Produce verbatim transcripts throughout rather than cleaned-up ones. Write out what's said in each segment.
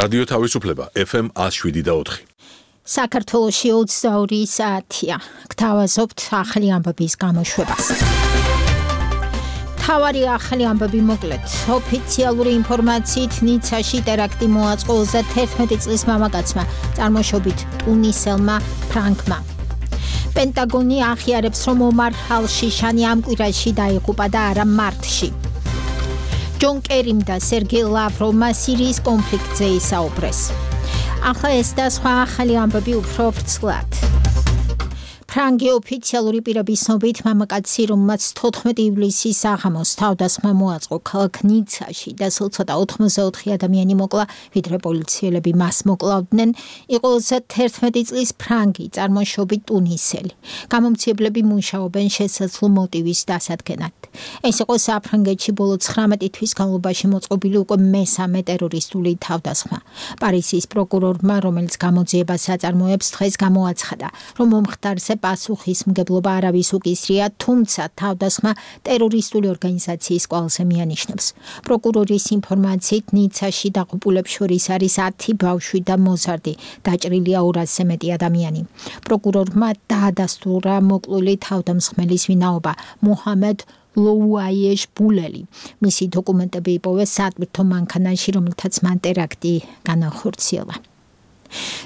რადიო თავისუფლება F M one oh seven და four. საქართველოში ოცდაორი საათია. გთავაზობთ ახალი ამბების გამოშვებას. თავარი ახალი ამბები მოკლედ. ოფიციალური ინფორმაციით ნიცაში ტერაქტი მოაწყო ოცდაერთი წლის მამაკაცმა, წარმოშობით ტუნისელმა ფრანგმა. პენტაგონი აღიარებს, რომ ომარ ალ-შიშანი ამ კვირაში დაიღუპა და არა მარტში. ჯონ კერიმ და სერგეი ლავროვმა სირიის კონფლიქტზე ისაუბრეს. ახლა ეს და სხვა ახალი ამბები უფრო ვრცლად. ფრანგი ოფიციალური პირების ცნობით მამაკაცი, რომელმაც თოთხმეტი ივლისის საღამოს თავდასხმა მოაწყო ქალაქ ნიცაში და სულ ცოტა ოცდაოთხი ადამიანი მოკლა, ვიდრე პოლიციელები მას მოკლავდნენ, იყო ოცდაერთი წლის ფრანგი, წარმოშობით ტუნისელი. გამომცემლები მუშაობენ შესაძლო მოტივის დასადგენად. ეს იყო საფრანგეთში ბოლო ცხრამეტი თვის განმავლობაში მოწყობილი უკვე მესამე ტერორისტული თავდასხმა. პარიზის პროკურორმა, რომელიც გამოძიებას აწარმოებს, დღეს გამოაცხადა, რომ მომხდარზე პასუხისმგებლობა არავის უკისრია, თუმცა თავდასხმა ტერორისტული ორგანიზაციის კვალზე მიანიშნებს. პროკურორის ინფორმაციით ნიცაში დაღუპულებს შორის არის ათი ბავშვი და მოზარდი, დაჭრილია ორასზე მეტი ადამიანი. პროკურორმა დაადასტურა მოკლული თავდამსხმელის ვინაობა, მუჰამედ ლოუაიეშ ბულელი. მისი დოკუმენტები იპოვეს სატვირთო მანქანაში, რომელთაც მან ტერაქტი განახორციელა.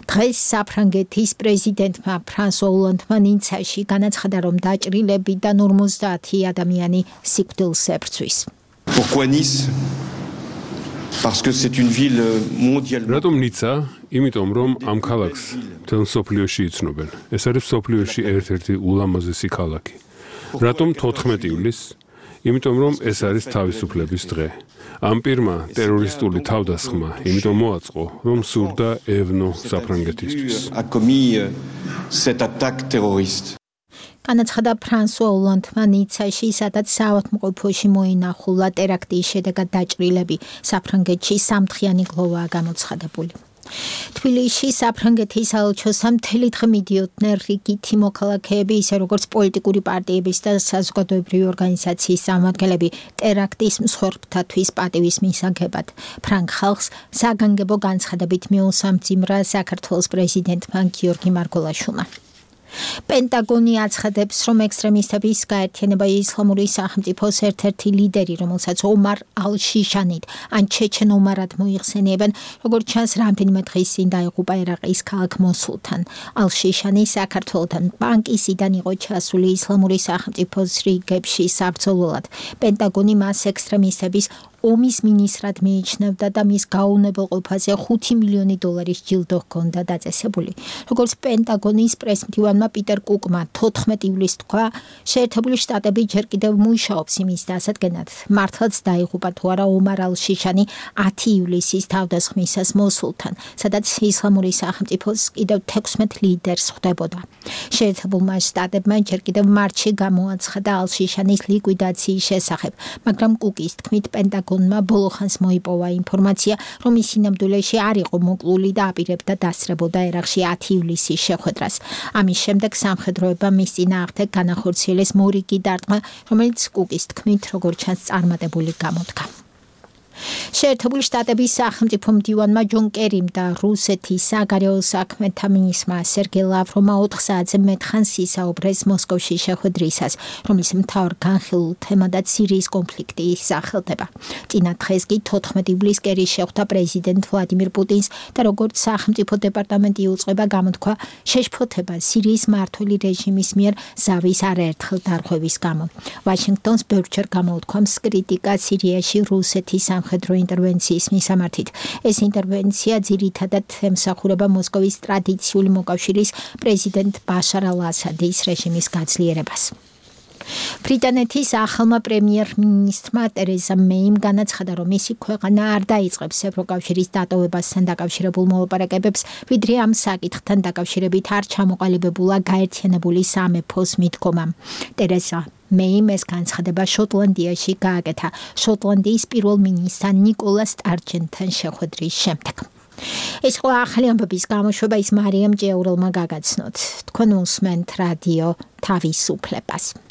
დღეს საფრანგეთის პრეზიდენტმა ფრანსუა ოლანდმა ნიცაში განაცხადა, რომ დაჭრილებიდან ორმოცდაათი ადამიანი სიკვდილს ებრძვის. Pourquoi Nice? Parce que c'est une ville mondialement. რატომ ნიცა? იმიტომ რომ ამ ქალაქს მთელ სოფლიოში იცნობენ. ეს არის სოფლიოში ერთ-ერთი ულამაზესი ქალაქი. რატომ თოთხმეტი ივლისს? იმიტომ რომ ეს არის თავისუფლების დღე. ამ პირმა ტერორისტული თავდასხმა იმიტომ მოაწყო, რომ სურდა ევნო საფრანგეთისთვის. განაცხადა ფრანსუა ოლანდმა ნიცაში, სადაც საავადმყოფოში მოინახულა ტერაქტის შედეგად დაჭრილები. საფრანგეთში სამთხიანი გლოვაა გამოცხადებული. თბილისში საფრანგეთის საელჩოსთან მთელი დღე მიდიოდნენ რიგითი მოქალაქეები, ისე როგორც პოლიტიკური პარტიების და საზოგადოებრივი ორგანიზაციის წარმომადგენლები ტერაქტის მსხვერპლთათვის პატივის მისაღებად. ფრანგ ხალხს საგანგებო განცხადებით მიუსამძიმრა საქართველოს პრეზიდენტმა გიორგი მარგველაშვილმა. პენტაგონი აცხადებს, რომ ექსტრემისტების გაერთიანება ისლამური სახელმწიფოს ერთ-ერთი ლიდერი, რომელსაც ომარ ალ-შიშანით ან ჩეჩენ ომარად მოიხსენიებენ, როგორც ჩანს, რამდენიმე დღის წინ დაიღუპა ერაყის ქალაქ მოსულთან. ალ-შიშანი საქართველოსთან ბანკისიდან იყო ჩასული ისლამური სახელმწიფოს რიგებში საბრძოლველად. პენტაგონი მას ექსტრემისტების ომის მინისტრად მიიჩნევდა და მის გაუნებელყოფაზე ხუთი მილიონი დოლარის ჯილდო ჰქონდა დაწესებული. როგორც პენტაგონის პრესმდივანმა პიტერ კუკმა თოთხმეტი ივლისს თქვა, შეერთებული შტატები ჯერ კიდევ მუშაობს იმის დასადგენად, მართლაც დაიღუპა თუ არა ომარ ალ-შიშანი ათი ივლისის თავდასხმისას მოსულთან, სადაც ისლამური სახელმწიფოს კიდევ თექვსმეტ ლიდერს ხვდებოდა. შეერთებულმა შტატებმა ჯერ კიდევ მარტში გამოაცხადა ალ-შიშანის ლიკვიდაციის შესახებ, მაგრამ კუკის თქმით პენტაგონმა ბოლოხანს მოიპოვა ინფორმაცია, რომ ის სინამდვილეში არ იყო მოკლული და აპირებდა დასწრებოდა ერაყში ათი ივლისის შეხვედრას. ამის შემდეგ სამხედროებმა მის წინააღმდეგ განახორციელეს მორიგი დარტყმა, რომელიც კუკის თქმით, როგორც ჩანს, წარმატებული გამოდგა. შეერთებული შტატების სახელმწიფო მდივანმა ჯონ კერიმ და რუსეთის საგარეო საქმეთა მინისტრმა სერგეი ლავროვმა ოთხ საათზე მეტხანს ისაუბრეს მოსკოვში შეხვედრისას, რომლის მთავარ განხილულ თემადაც სირიის კონფლიქტი სახელდება. წინა დღეს კი თოთხმეტი ივლისს კერი შეხვდა პრეზიდენტ ვლადიმირ პუტინს და როგორც სახელმწიფო დეპარტამენტი იუწყება, გამოთქვა შეშფოთება სირიის მმართველი რეჟიმის მიერ ზავის არაერთხელ დარღვევის გამო. ვაშინგტონს ბევრჯერ გამოუთქვამს კრიტიკა სირიაში რუსეთის სამხედრო ინტერვენციის მისამართით. ეს ინტერვენცია ძირითადად ემსახურება მოსკოვის ტრადიციული მოკავშირის პრეზიდენტ ბაშარ ალ-ასადის რეჟიმის გაძლიერებას. ბრიტანეთის ახალმა პრემიერ-მინისტრმა ტერეზა მეიმ განაცხადა, რომ მისი ქვეყანა არ დაიწყებს ევროკავშირის დატოვებასთან დაკავშირებულ მოლაპარაკებებს, ვიდრე ამ საკითხთან დაკავშირებით არ ჩამოყალიბებულა გაერთიანებული სამეფოს მიდგომამ. ტერეზა მეიმ ეს განცხადება შოტლანდიაში გააკეთა შოტლანდიის პირველ მინისტრთან ნიკოლა სტარჯენთან შეხვედრის შემდეგ. ეს იყო ახალი ამბების გამოშვება, ის მარიამ ჭიაურელმა გაგაცნოთ. თქვენ უსმენთ რადიო თავისუფლებას.